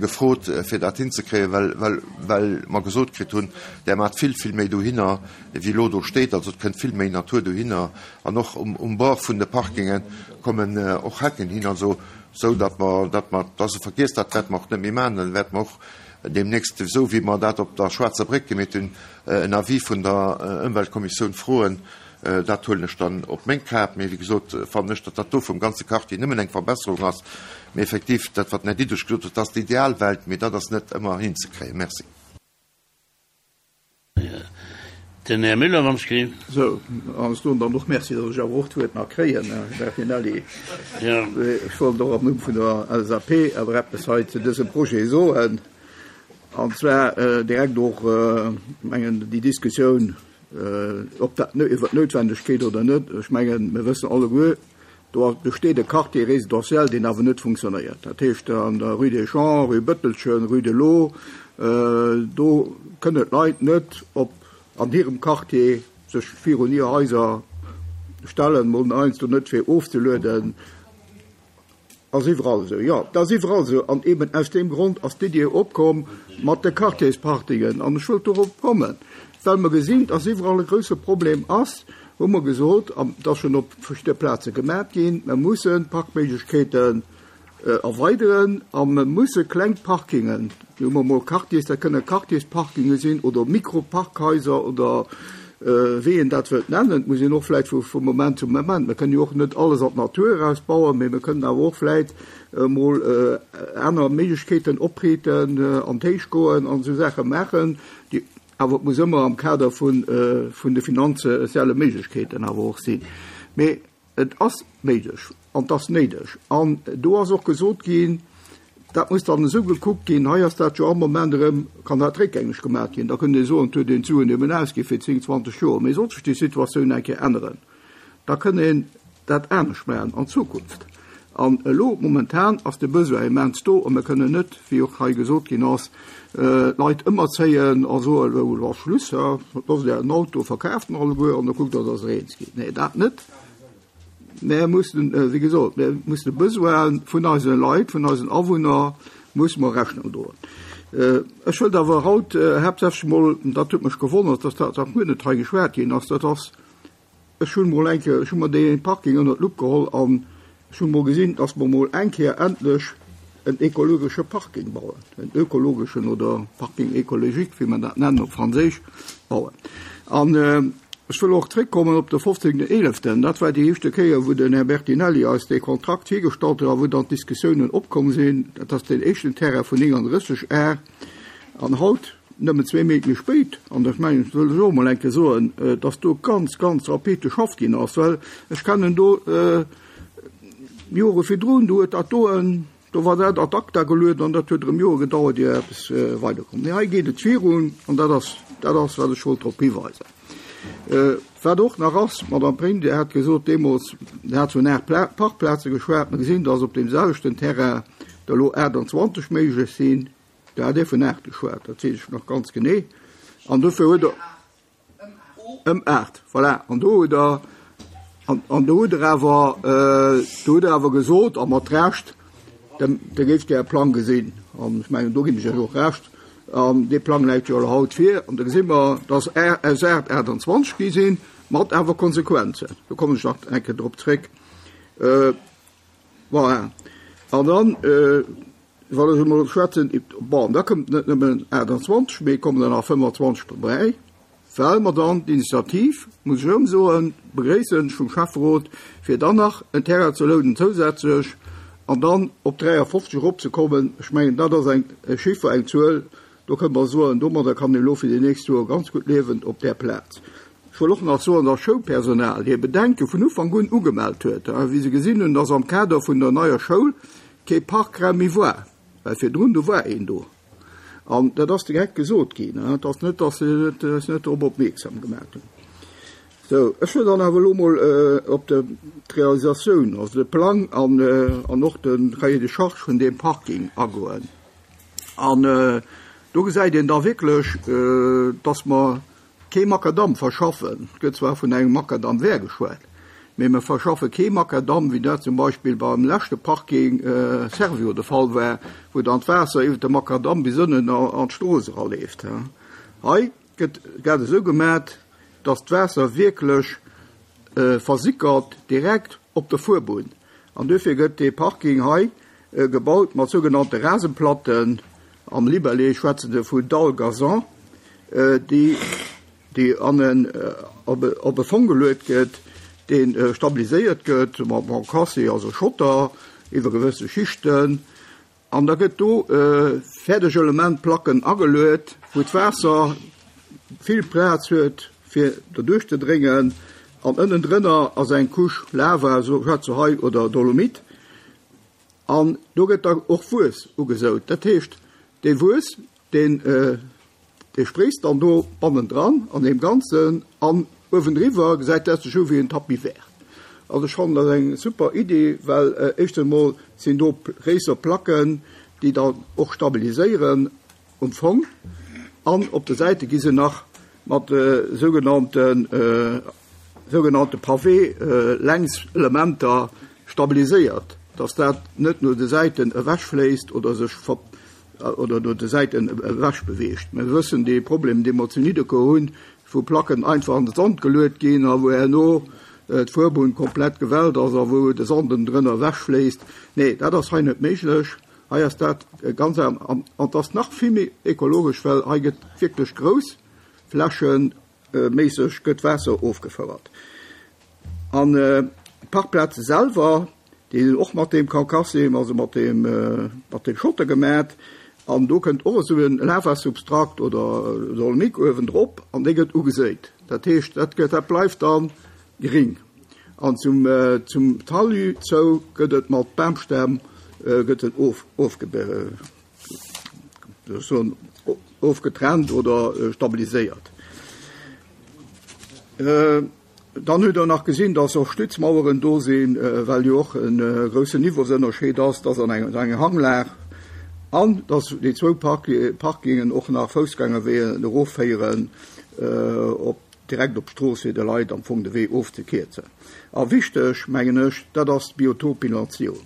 gefrot, fir dat hinzekréien, well, well, well mer gesot kritt hunn, där maacht vill, vill méi dohinner, wéi elo do steet. Also et kënnt vill méi Natur dohinner an och um, um Bord vun de Parkingen kommen och Hecken hin, also sou datt mer, datt mer, dat ass e Vergiess, dat wäerte mer och net méi maachen, dann wäerte mer och deemnächst, esou wéi mer dat op der Schwaarzer Bréck gemeet hunn, en Avis vun der Ëmweltkommissioun froen. Dat huelen ech dann op meng Kap. Mee wéi gesot, fannen ech, datt dat do vum ganze Quartier nëmmen eng Verbesserung ass. Mee effektiv, dat wat den Här Diderich gesot huet, dat ass d'Idealwelt, mee dat ass net ëmmer hinzekréien. Merci. Den Här Müller, wann ech gleef. Sou, an ech soen dann och Merci, datt ech awer och d'Wuert nach kréien, Här Bertinelli. Ech wollt och am Numm vun der L S A P awer eppes hei zu dësem Projet soen. An zwar direkt och, mengen, déi Diskussioun, ob dat iwwer d'Noutwendegkeet oder net. Ech mengen, mir wëssen alleguer, do besteet e Quartier résidentiel, deen awer net funktionéiert. Dat heescht, an der Rue des Champs, Rue Bëttelchen, Rue de l'Eau, do kënnen d'Leit net op an hirem Quartier sech virun hir Haiser stellen, mol heiansdo net fir ofzelueden. Ass iwwerall esou. Jo, dat ass iwwerall esou. An eben aus deem Grond ass d'Idee opkomm mat de Quartierspartingen. An ech wëllt dorop kommen, well mer gesinn, dass iwwerall e grouse Problem ass hu mer gesot, an dat ass schonn op verschidde Plaze gemaach ginn, mer mussen d'Parkméiglechkeeten erweideren a mer musse kleng Parkingen, do hu mer emol Quartiers, dat kënne Quartiersparkinge sinn oder Mikroparkhaiser oder wéi een dat wëllt nennen, et muss een och vläicht vu vu Moment zu Moment, mer kënnen jo och net alles an d'Natur erausbauen, mee mer kënnen awer och vläicht emol aner Méiglechkeeten opreeten, an d'Héicht goen an esou Saache maachen, déi awer et muss ëmmer am Kader vun vun de finanzielle Méiglechkeeten awer och sinn. Mee et ass méiglech an et ass néideg. An do ass och gesot ginn, dat muss dann esou gekuckt ginn, hei ass dat jo am Moment erëm, kann dat réckgängeg gemaach ginn. Da kënnt ee soen, et huet een d'Suen eben ausgi fir zéng, zwanzeg Joer. Mee sollt sech déi Situatioun eng Kéier änneren, da kënn een dat anescht maachen an Zukunft. An elo momentan ass de Besoin immens do a mir kënnen net, wéi och hei gesot ginn ass, d'Leit ëmerzéien a soen, elo ass Schluss, loosst Ären Auto, verkaaft en alleguer an da kuckt Der, dass Der eens gitt. Nee, dat net. Mir mussen, wéi gesot, mir mussen de Besoine vun eise Leit, vun eisen Awunner musse mer Rechnung droen. Ech wëllt awer haut haaptsächlech emol, dat huet mech gewonnert, dass dat nach guer net hei geschwat ginn ass, dat ass, ech hunn emol eng Kéier, ech hu mer dee Parking ënnert d'Lupp geholl an ech hunn emol gesinn, dass mer emol eng Kéier endlech en ekologesche Parking bauen, en ökologeschen oder Parking écologique, wéi mer dat nennen op Franséisch, bauen. An ech wëll och zréckkommen op de fofzéngten eeleften. Dat war déi éischte Kéier, wou den Här Bertinelli eis dee Kontrakt virgestallt huet a wou dann d'Diskussiounen opkomm sinn. Dat ass deen éischten Terrain vun nénganddrësseg Ar. An haut, nëmmen zwee Méint méi spéit, an ech mengen, dat wëll ech och emol eng Kéier soen, dass do ganz, ganz rapid geschafft ginn ass, well ech kennen do Jore virdrun, do huet dat do en, do war dat ad acta gelueden an dat huet erëm Jore gedauert, ier eppes weiderkoum. Mee hei geet et virun an dat ass, dat ass, wat ech wollt drop hiweisen. Wat och nach ass, Madame Pring, Dir hat gesot deemools, Dir hat vun aacht Parkplaze geschwat, mer gesinn, dass op deem selwechten Terrain der elo aachtanzwanzeg méiglech sinn. Do hat Dir vun aacht geschwat, dat weess ech nach ganz genee. An dofir huet Der ëm aacht, voilà. An do hutt Der, an do hutt Der awer, do hutt Der awer gesot, a mat Recht, Der géift Är Plang gesinn, an ech mengen, do ginn ech Iech och Recht, an dee Plang läit jo elo haut vir, an do gesi mer, dass aus aacht aachtanzwanzeg gi sinn, mat awer Konsequenzen. Do kommen ech nach eng Kéier drop zréck. Voilà. An dann, wann ech emol schwätzen, bon, da kommt net nëmmen aachtanzwanzeg, mee kommen der nach fënnefanzwanzeg dobäi, well mer dann d'Initiativ, muss ech erëm soen, begréissen vum Schäfferot, fir dann nach en Terrain ze lounen zousätzlech an dann op dräiafofzeg eropzekommen. Ech mengen, dat ass eng Chiffer, eng Zuel, do kënne mer soen, domadder kann een elo fir déi nächst Joer ganz gutt liewen op där Plaz. Ech wëll och nach soen, dass Schoulpersonal hir Bedenke vun Ufank un ugemellt huet, wéi se gesinn hunn, dass am Kader vun der neier Schoul kee Parkraum méi war, well virdrun, do war een do. An dat ass direkt gesot ginn, et ass net, dass se eis net drop opmierksam gemaach hunn. Sou, ech wëll dann awer elo mol op d'Realisatioun, also de Plang an, an och de Cahier de charges vun deem Parking agoen. An do gesäit een da wierklech, dass mer kee Makadamm verschaffen. Et gëtt zwar vun engem Makadamm vert geschwat, mee mer verschaffe kee Makadamm, wéi dat zum Beispill beim leschte Parking Servior de Fall war, wou dann d'Waasser iwwert de Makadamm bis ënnen an d'Strooss eraleeft. Hei gëtt dat esou gemaach, dass d'Waasser wierklech versickert direkt op der Fuerbunn. An duerfir gëtt dee Parking hei gebaut mat sougenannte Rasenplatten. Am Libellé schwätzen se vu Dalle gazon, déi déi an en op e Fong geluet gëtt, dee stabiliséiert gëtt mat Bancassé, also Schotter, iwwer gewësse Schichten. An da gëtt do fäerdeg Elementplacken ageluet, wou d'Waasser vill Plaz huet, fir derduerch ze dréngen. An ënnendrënner ass eng Couche Lava, esou schwätze se hei, oder Dolomit. An do gëtt da och Wuess ugesout. Dat heescht, dee Wuess, deen dee spréisst dann do bannendran an deem Ganzen an uewendriwwer gesäit dat sech u wéi en Tapis vert. Also ech fannen dat eng super Iddi, well éischtens emol sinn do gréisser Placken, déi dann och stabiliséieren um Fong an op de Säite gi se nach mat sougenannte sougenannte Pavé längs Elementer stabiliséiert, dass dat net no de Säiten ewechfléisst oder sech oder no de Säiten ewech beweegt. Mir wëssen dee Problem, dee mer zu Nidderkuer hunn, wou Placken einfach an de Sand geluet ginn a wou herno d'Fuerbunn komplett gewellt ass a wou de Sand drënner ewechfléisst. Nee, dat ass hei net méiglech. Hei ass dat ganz an an et ass nach vill méi ekologesch, well hei gëtt wierklech grouss flächeméisseg gëtt Waasser ofgefouert. An d'Parkplaze selwer, déi sinn och mat deem Carcassem, also mat deem mat deem Schotter gemat. An do kënnt och esou e Lavasubstrakt oder Dolomik uewendrop an dee gëtt ugeséit. Dat heescht, dat gëtt, dat bleift da gring. An zum, zum Talus zou gëtt et mat Bamstämm gëtt et of, ofge, ofgetrennt oder stabiliséiert. Dann hutt Der nach gesinn, dass och Stützmaueren do sinn, well jo och e groussen Niveausënnerscheed ass, dass an enger Hanglag an dass déi zwou Parkingen och nach Foussgängerweeën erofféieren op direkt op d'Strooss, fir de Leit am Fong de Wee ofzekierzen. A wichteg, mengen ech, dat ass d'Biotopbilanzierung.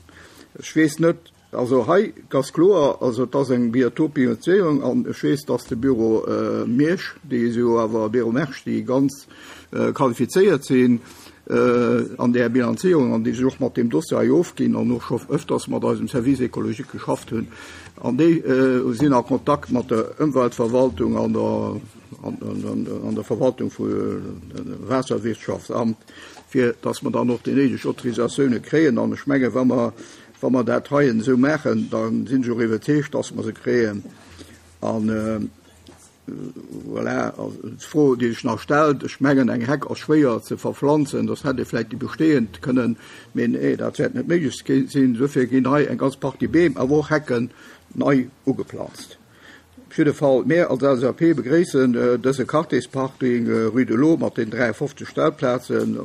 Ech weess net, also hei ass kloer, also et ass eng Biotopbilanzierung an ech weess, dass de Büro Miersch, déi si jo awer, Büro Mersch, déi ganz qualifizéiert sinn an där Bilanzierung an déi sech och mat deem Dossier hei ofginn an och scho öfters mat eisem Service écologique geschafft hunn, an déi sinn a Kontakt mat der Ëmweltverwaltung an der an der Verwaltung vu Waasserwirtschaftsamt, fir dass mer dann och déi néideg Autorisatiounen kréien. An ech menge wa mer, wa mer dat hei esou maachen, da sinn ech och iwwerzeegt, dass mer se kréien. An voilà, d'Fro, déi sech nach stellt, ech mengen, eng Heck ass schwéier ze verpflanzen, dass hätt ee vläicht déi bestehend kënnen, mee nee, dat wäert net méiglech sinn. Dofir ginn hei eng ganz Partie Beem, awer och Hecken nei ugeplanzt. Op jidde Fall, mir als L S A P begréissen dëse Quartiersparking Rue de l'Eau mat den dräiundfofzeg Stellplazen,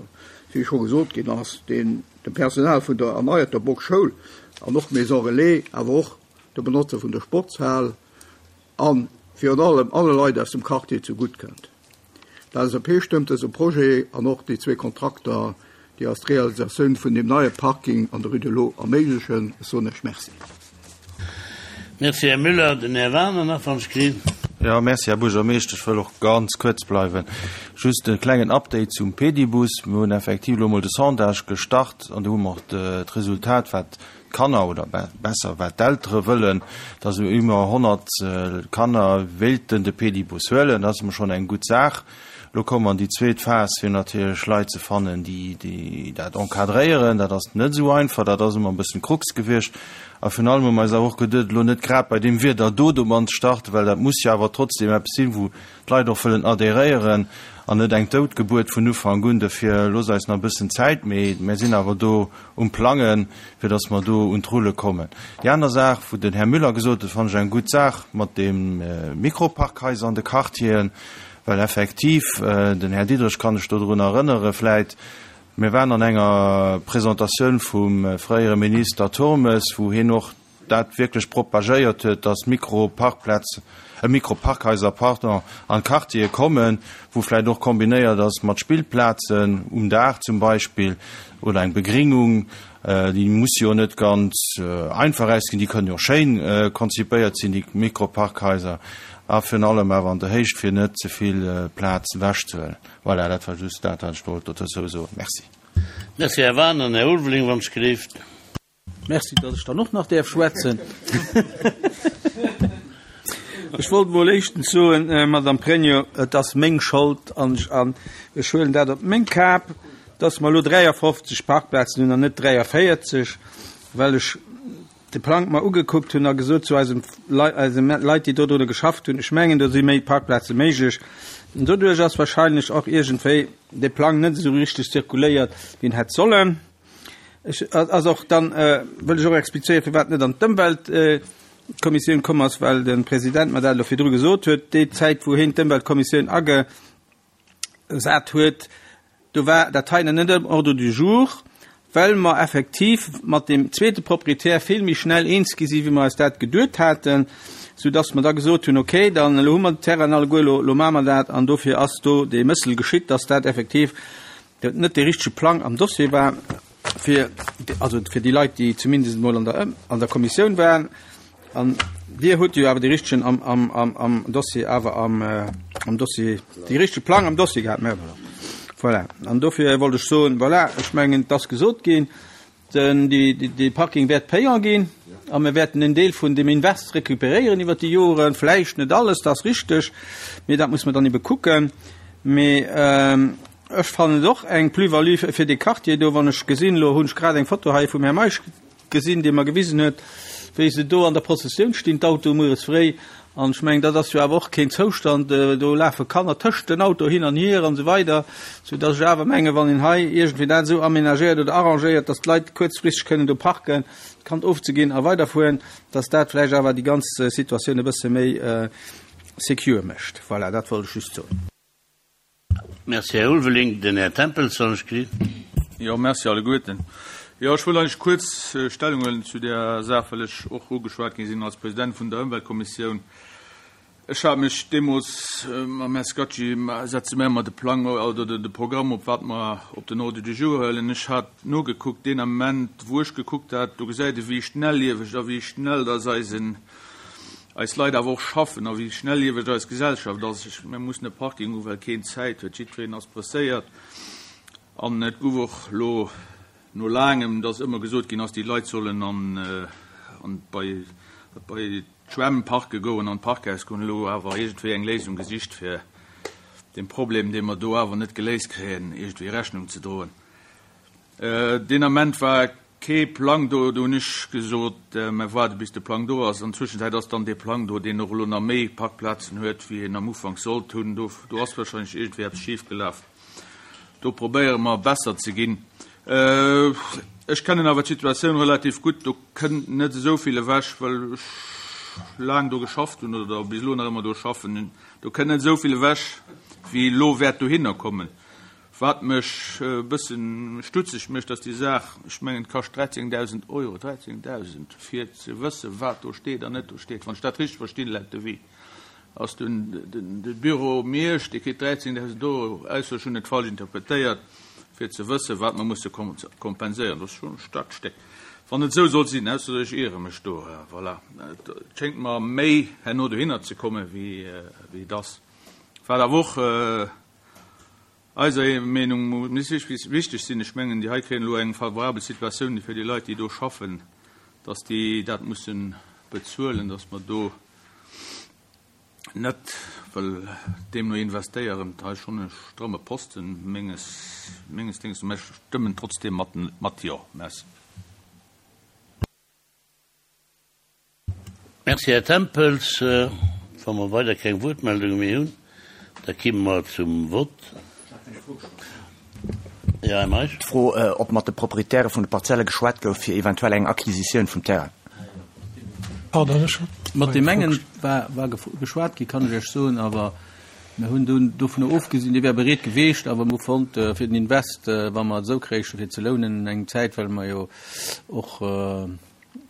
wéi scho gesot ginn ass, deen dem Personal vun der erneierter Bock-Schoul an och Maison Relais, awer och de Benotzer vun der Sportshal an virun allem alle Leit aus dem Quartier zegutt kënnt. D'L S A P stëmmt dëse Projet an och déi zwee Kontrakter, déi als d'Realisatioun vun dem neie Parking an der Rue de l'Eau erméiglechen. Ech soen Iech Merci. Merci, Herr Müller. Den Herr Werner nach van Screen. Ja, merci, Herr Buergermeeschter. Ech wëll och ganz kuerz bleiwen. Just e klengen Update zum Pedibus. Mir hunn effektiv elo mol de Sondage gestart an do hu mer och d'Resultat, wat d'Kanner oder besser wat d'Eltere wëllen, dass iwwer honnert Kanner wéilten de Pedibus huelen. Dat ass emol schonn eng gutt Saach. Lo kommen wir an déi zweet Phas, fir natierlech Leit ze fannen, déi, déi dat encadréieren. Dat ass net esou einfach, dat ass ëmmer e bëssen Krux gewiescht. A virun allem hu mer eis awer och geduet, elo net grad bei deem Wieder do domat ze starten, well dat muss jo awer trotzdem eppes sinn, wou d'Leit och wëllen adhéréieren an net eng Doutgebuert vun Ufank un. Dofir looss eis nach e bëssen Zäit, mee mir sinn awer do um Plangen, fir datt mer do un d'Rulle kommen. Déi aner Saach, wou den Herr Müller gesot huet, fand ech eng gutt Saach mat dem Mikroparkhaiser an de Quartieren, well effektiv, den Herr Diderich kann ech do drun erënnere vläit, mir waren an enger Presentatioun vum fréiere Minister Turmes, wou hien och dat wierklech propagéiert huet, dass Mikroparkplätz, äh, Mikroparkhaiser, pardon, an Quartiere kommen, wou vläicht och kombinéiert ass mat Spillplazen um Daach zum Beispill oder eng Begringung, déi muss jo net ganz einfach ausginn, déi kënnen jo schéin konzipéiert sinn, déi Mikroparkhaiser, a virun allem awer an der Héicht, fir net ze vill Plaz ewechzehuelen. Voilà, dat war just dat, wat ech wollt dozou soen. Merci. Merci, Herr Werner. Herr Ulveling, wann es gelift. Merci, dass ech dann och nach däerf schwätzen. Ech wollt mol éischtens soen, Madame Pregno, et ass meng Schold an ech, an ech huelen dat op meng Kap, dass mer elo dräiundfofzeg Parkplazen hunn an net dräiundvéierzeg, well ech de Plang mal ugekuckt hunn a gesot zu eisem Lei-, eisem Leit, déi do drunner geschafft hunn, ech mengen, do si méi Parkplaze méiglech. Und doduerch ass wahrscheinlech och iergendwéi de Plang net esou richtig zirkuléiert, wéi en hätt sollen. Ech, also och dann, äh, wëll ech och explizéieren, firwat net an d'Ëmweltkommissioun komm ass, well de President mer dat elo virdru gesot huet, déi Zäit, wou hien d'Ëmweltkommissioun agesat huet, do war dat hei net am Ordre du jour, well mer effektiv mat dem zweete Proprietär vill méi schnell eens gi sinn, wéi mer eis dat geduet haten, so dass mer da gesot hunn, okay, dann elo hu mer den Terrain alleguer, elo, elo maache mer dat, an dofir ass do dee Mëssel geschitt, dass dat effektiv net de richtege Plang am Dossier war, fir, also fir déi Leit, déi zumindest mol an der, an der Kommissioun waren. An Dir hutt jo awer de richtegen am, am, am, am Dossier, awer am, äh, am Dossier, de richtege Plang am Dossier gehat. Mä voilà. Voilà. An dofir wollt ech soen, voilà, ech mengen, et ass gesot ginn, den, déi, déi, dee Parking wäert payant ginn a mir wäerten en Deel vun dem Invest recuperéieren iwwer déi Joren, vläicht net alles, dat ass richteg, mee dat muss mer dann ebe kucken. Mee ähm, ech fannen et och eng Plus-value fir dee Quartier do, wann ech gesinn, elo hunn ech grad eng Foto hei vum Här Meisch gesinn, dee mer gewisen huet, wéi se do an der Prozessioun stinn, d'Autoe mueres fréi. An ech mengen, dat ass jo awer och keen Zoustand, do lafe Kanner tëscht den Autoe hin an hier an esou weider, soudass ech awer mengen, wann een hei iergendwéi dat esou aménagéiert oder arrangéiert, dass d'Leit kuerzfristeg kënnen do parken, d'Kand ofzeginn a weiderfueren, dass dat vläicht awer déi ganz Situatioun e bësse méi secure mécht. Voilà, dat wollt ech just soen. Merci, Här Ulveling. Den Här Tempels soll ech kritt. Jo, merci alleguerten. Jo, ech wëll eigentlech kuerz Stellung huelen zu där Saach, well ech och ugeschwat gi sinn als President vun der Ëmweltkommissioun. Ech hat mech deemools mam Här Scacci, setze mir ëmmer de Plang oder de Programm op, wat mer op den Ordre du jour huelen. Ech hat nogekuckt, deen Ament, wou ech gekuckt hat, do gesäit ee wéi schnellieweg a wéi schnell dass eisen, eis Leit awer och schaffen a wéi schnellieweg eis Gesellschaft ass. Ech, mir mussen e Parking hu well keen Zäit huet, jiddwereen ass presséiert. An et gouf och elo no laangem, dass ëmmer gesot ginn ass, déi Leit sollen an, an bei, bei d'Schwämm parke goen, an d'Parkhaus goen, elo awer iergendwéi eng Léisung gesicht, fir deem Problem, dee mer do awer net geléist kréien, iergendwéi Rechnung ze droen. Deen Ament war kee Plang do, do hunn ech gesot, mer waarde bis de Plang do ass. An Zwëschenzäit ass dann dee Plang do, deen och elo nach méi Parkplazen huet, wéi en am Ufank sollt hunn. Do, do ass wahrscheinlech iergendwéi eppes schif gelaf. Do probéiere mer besser ze ginn. Ech kennen awer d'Situatioun relativ gutt. Do kënnt net esou vill ewech, well ech laang do geschafft hunn oder bis elo nach ëmmer do schaffen. Do kënnt net esou vill ewech, wéi elo wäert dohinner kommen. Wat mech e bëssen stutzeg mécht, ass déi Saach, ech mengen, et kascht dräizéngdausend Euro, dräizéngdausend, fir ze wëssen, wat do steet an net do steet, wann ech dat richteg verstinn, laut Devis. Ass den de Büro Miersch, dee kritt dräizéngdausend Euro, ausser ech hunn et falsch interpretéiert, fir ze wëssen, wat mer musse kompenséieren. Dat ass schonn e staarkt Stéck, wann et esou soll sinn, ausser ech iere mech do. Voilà, et schéngt mer méi herno dohinner ze kommen, wéi et ass. Wat awer och eiser Meenung no muss wichteg sinn, ech mengen, déi hei kréien elo eng favorabel Situatioun fir déi Leit, déi do schaffen, dass déi dat musse bezuelen, dass mer do net wëll deemno investéieren. Hei schonn e stramme Posten menges, menges Déngs, mä ech stëmmen trotzdeem mat, mat Jo. Merci. Merci, Här Tempels. Wa mer weider keng Wuertmeldunge méi hunn, da kimme mer zum Vott. Jo, Här Meisch. D'Fro, ob mat de Proprietäre vun de Parzelle geschwat gouf, fir eventuell eng Acquisitioun vum Terrain. Pardon, ech hat Mat deem engen war, war geschwat ginn, kann ech Iech soen, awer mir hunn dunn dovunner ofgesinn. Dee wär bereet geweecht, awer mir hu fonnt, fir den Invest, wa mer et esou kréichen, fir ze lounen eng Zäit, well mer jo och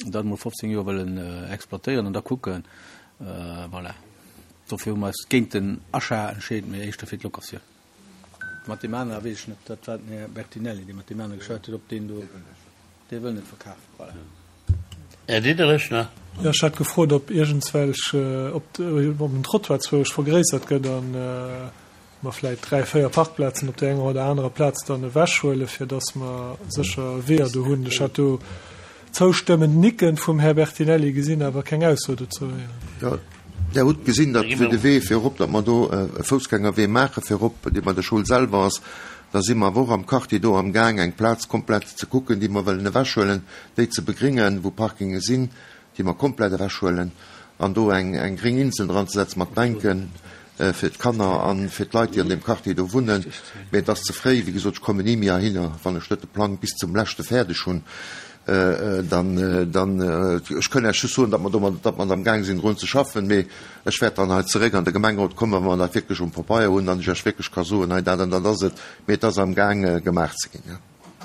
dat emol fofzéng Joer wëllen exploitéieren an da kucken. Voilà, dofir hu mer eis géint den Achat entscheet, mee éischter fir d'Locatioun. Mat deem anere weess ech net, dat war den Här Bertinelli, dee mat deem anere geschwat huet, ob deen do, dee wëll net verkafen. Voilà. Här Diderich nach. Jo, ech hat gefrot, ob iergendswelch, ob den Trottoir zwousch vergréissert gëtt an mer vläit dräi, véier Parkplazen op där enger oder anerer Plaz dann ewechhuelen, fir dass mer sécher Weeër do hunn. Ech hat do zoustëmmend Nicken vum Här Bertinelli gesinn, awer keng Ausso dozou héieren. Jo, Der hutt gesinn, datt fir de Wee fir erop, datt mer do e Foussgängerwee maache fir erop, dee bei der Schoul selwer ass, da si mer awer och am Quartier do amgaang, eng Plaz komplett ze kucken, déi mer wëllen ewechhuelen, déi ze begringen, wou Parkinge sinn, déi mer komplett ewechhuelen an do eng eng gréng Insel dran ze setzen mat Bänke fir d'Kanner a fir d'Leit, déi an deem Quartier do wunnen. Mee et ass ze fréi, wéi gesot, ech kommen ni méi heihinner, wann ech net de Plang bis zum leschte fäerdeg hunn. Dann, dann, ech kënn Iech just soen, datt mer domat, datt mer amgaang sinn drun ze schaffen, mee ech wäert dann hei zeréck an de Gemengerot kommen, wa mer dat wierklech um Pabeier hunn an ech Iech wierklech ka soen, hei dat an dat ass et, mee et ass amgaang gemaach ze ginn, jo.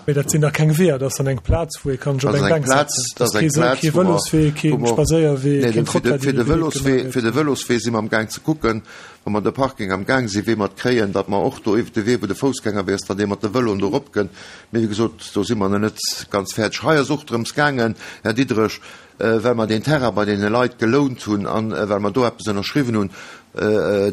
Mee dat sinn da keng Weeër, dat ass dann eng Plaz, wou ee kann sech op eng Bänk setzen. Dat ass kee Sou, kee Vëloswee, kee Spadséierwee, keen Trottoir, dee Fir de Vëloswee, fir de Vëloswee si mer amgaang ze kucken, wa mer de Parking amgaang sinn, wéi mer et kréien, datt mer och do iwwert de Wee, wou de Foussgängerwee ass, datt ee mat de Vëloen do eropkënnt. Mee wéi gesot, do si mer nach net ganz fäerdeg. Hei ass och drëms gaangen, Här Diderich, well mer deen Terrain bei deene Leit gelount hunn an well mer do eppes ënnerschriwwen hunn,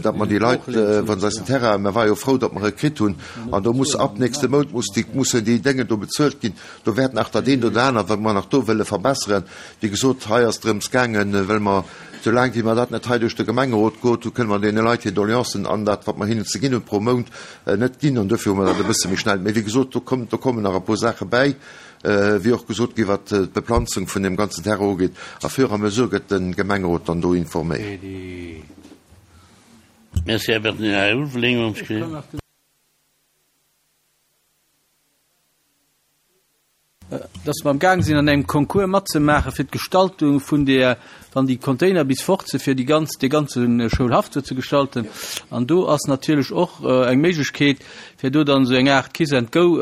datt mer déi Leit, wa se eis den Terrain, mer ware jo frou, datt mer e kritt hunn, an do muss ab nächste Mount muss déi, mussen déi Déngen do bezuelt ginn. Do wäert nach dat eent oder anert, wat mer nach do wëlle verbesseren. Wéi gesot, hei ass drëms gaangen, well mer, soulaang wéi mer dat net hei duerch de Gemengerot geholt hunn, kënne mer deene Leit hir Doleancen an dat, wat mer hinnen ze ginn hunn pro Mount, net ginn. An dofir hu mer dat e bësse méi schnell. Mee wéi gesot, do kommen, do kommen nach e puer Saache bäi, wéi och gesot ginn, wat d'Beplanzung vun deem ganzen Terrain ugeet. A fur et à mesure gëtt de Gemengerot dann do informéiert. Merci, Här Bertinelli. Här Ulveling, wann ech gleef. Dass mer am Gaang sinn an engem Concours matzemaache fir d'Gestaltung vun där, wann déi Container bis fort sinn, fir déi ganz, dee ganze Schoulhaff do ze gestalten. An do ass natierlech och eng Méiglechkeet, fir do dann esou eng Aart Kiss and Go,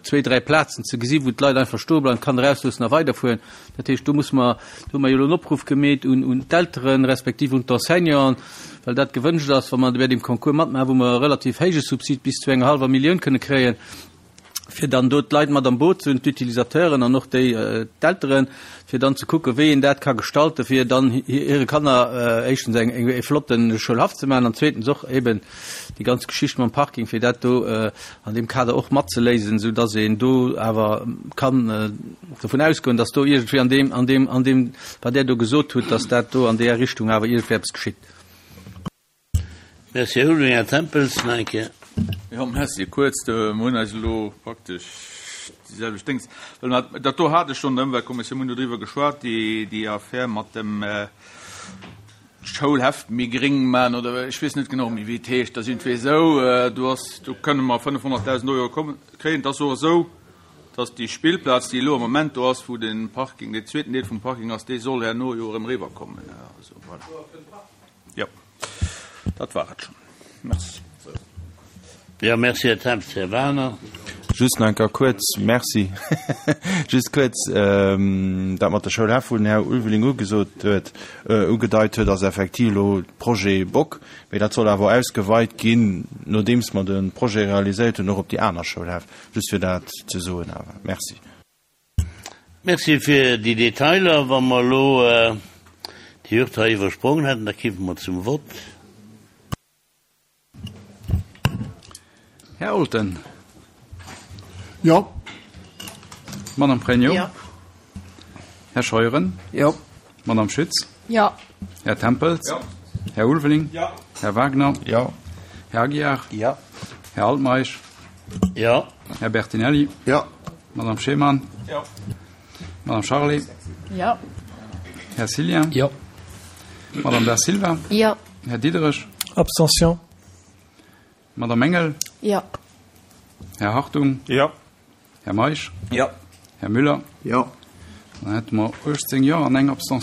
zwee, dräi Plazen ze gesi wou d'Leit einfach stoe bleiwen, d'Kanner erausloossen a weiderfueren. Dat heescht, do musse mer, do hu mer jo elo en Opruff gemeet un, un d'Elteren, respektiv un d'Enseignanten, well dat gewënscht ass, wa mer bei deem Concours matmaachen, wou mer e relativ héije Subsid bis zu enger hallwer Millioun kënne kréien, fir dann do d'Leit mat am Boot ze hunn, d'Utilisateuren an och déi d'Elteren, fir dann ze kucken, wéi een dat ka gestalten, fir dann hire Kanner éischtens eng e flotte Schoulhaff ze maachen an zweetens och eben déi ganz Geschicht mam Parking, fir dat do an deem Kader och matzeléisen, esou dass een do awer kann dovun ausgoen, dass do iergendwéi an deem, an deem, an deem, wat Der do gesot hutt, dass dat do an deeër Richtung awer iergendwéi eppes geschitt. Merci, Här Ulveling. Här Tempels, nach eng Kéier. Jo, merci. Kuerz, mir hunn eis elo praktesch déi selwecht Déngs, well mer, dat do hat ech schonn an der Ëmweltkommissioun, mir hunn dodriwwer geschwat, déi, déi Affär mat dem Schoulheft méi gréng man oder ech weess net genau méi, wéi et heescht. Dat ass iergendwéi esou, do ass, do kënne mer fënnefhonnertdausend Euro kommen, kréien. Et ass och esou, dass déi Spillplaz, déi elo am Moment do ass, wou de Parking, deen zweeten Deel vum Parking ass, déi soll herno jo erëm eriwwerkommen. Also, voilà. Jo, dat war et schonn. Merci. Jo, merci, Här Temps. Här Wagener. Just nach eng Kéier kuerz, Merci. Just kuerz, dat mat der Schoulhäff, wou den Här Ulveling ugesot huet, ugedeit huet, ass effektiv elo Projet Bock. Mee dat soll awer ausgeweit ginn, nodeems mer de Projet realiséiert hunn, och op déi aner Schoulhäff. Just fir dat ze soen awer. Merci. Merci fir déi Detailer. Wa mer elo déi Hürd hei iwwersprongen hätten, da kippe mer zum Vott. Här Olten. Jo. Madame Pregno. Jo. Här Scheuren. Jo. Madame Schütz. Jo. Här Tempels. Jo. Här Ulveling. Jo. Här Wagner. Jo. Här Aguiar. Jo. Här Altmeisch. Jo. Här Bertinelli. Jo. Madame Schemann. Jo. Madame Charlé. Jo. Här Cillien. Jo. Madame Da Silva. Jo. Här Diderich. Abstention. Madame Engel. Jo. Här Hartung. Jo. Här Meisch. Jo. Här Müller. Jo. Dann hätte mer uechtzéng Jo an eng Abstention.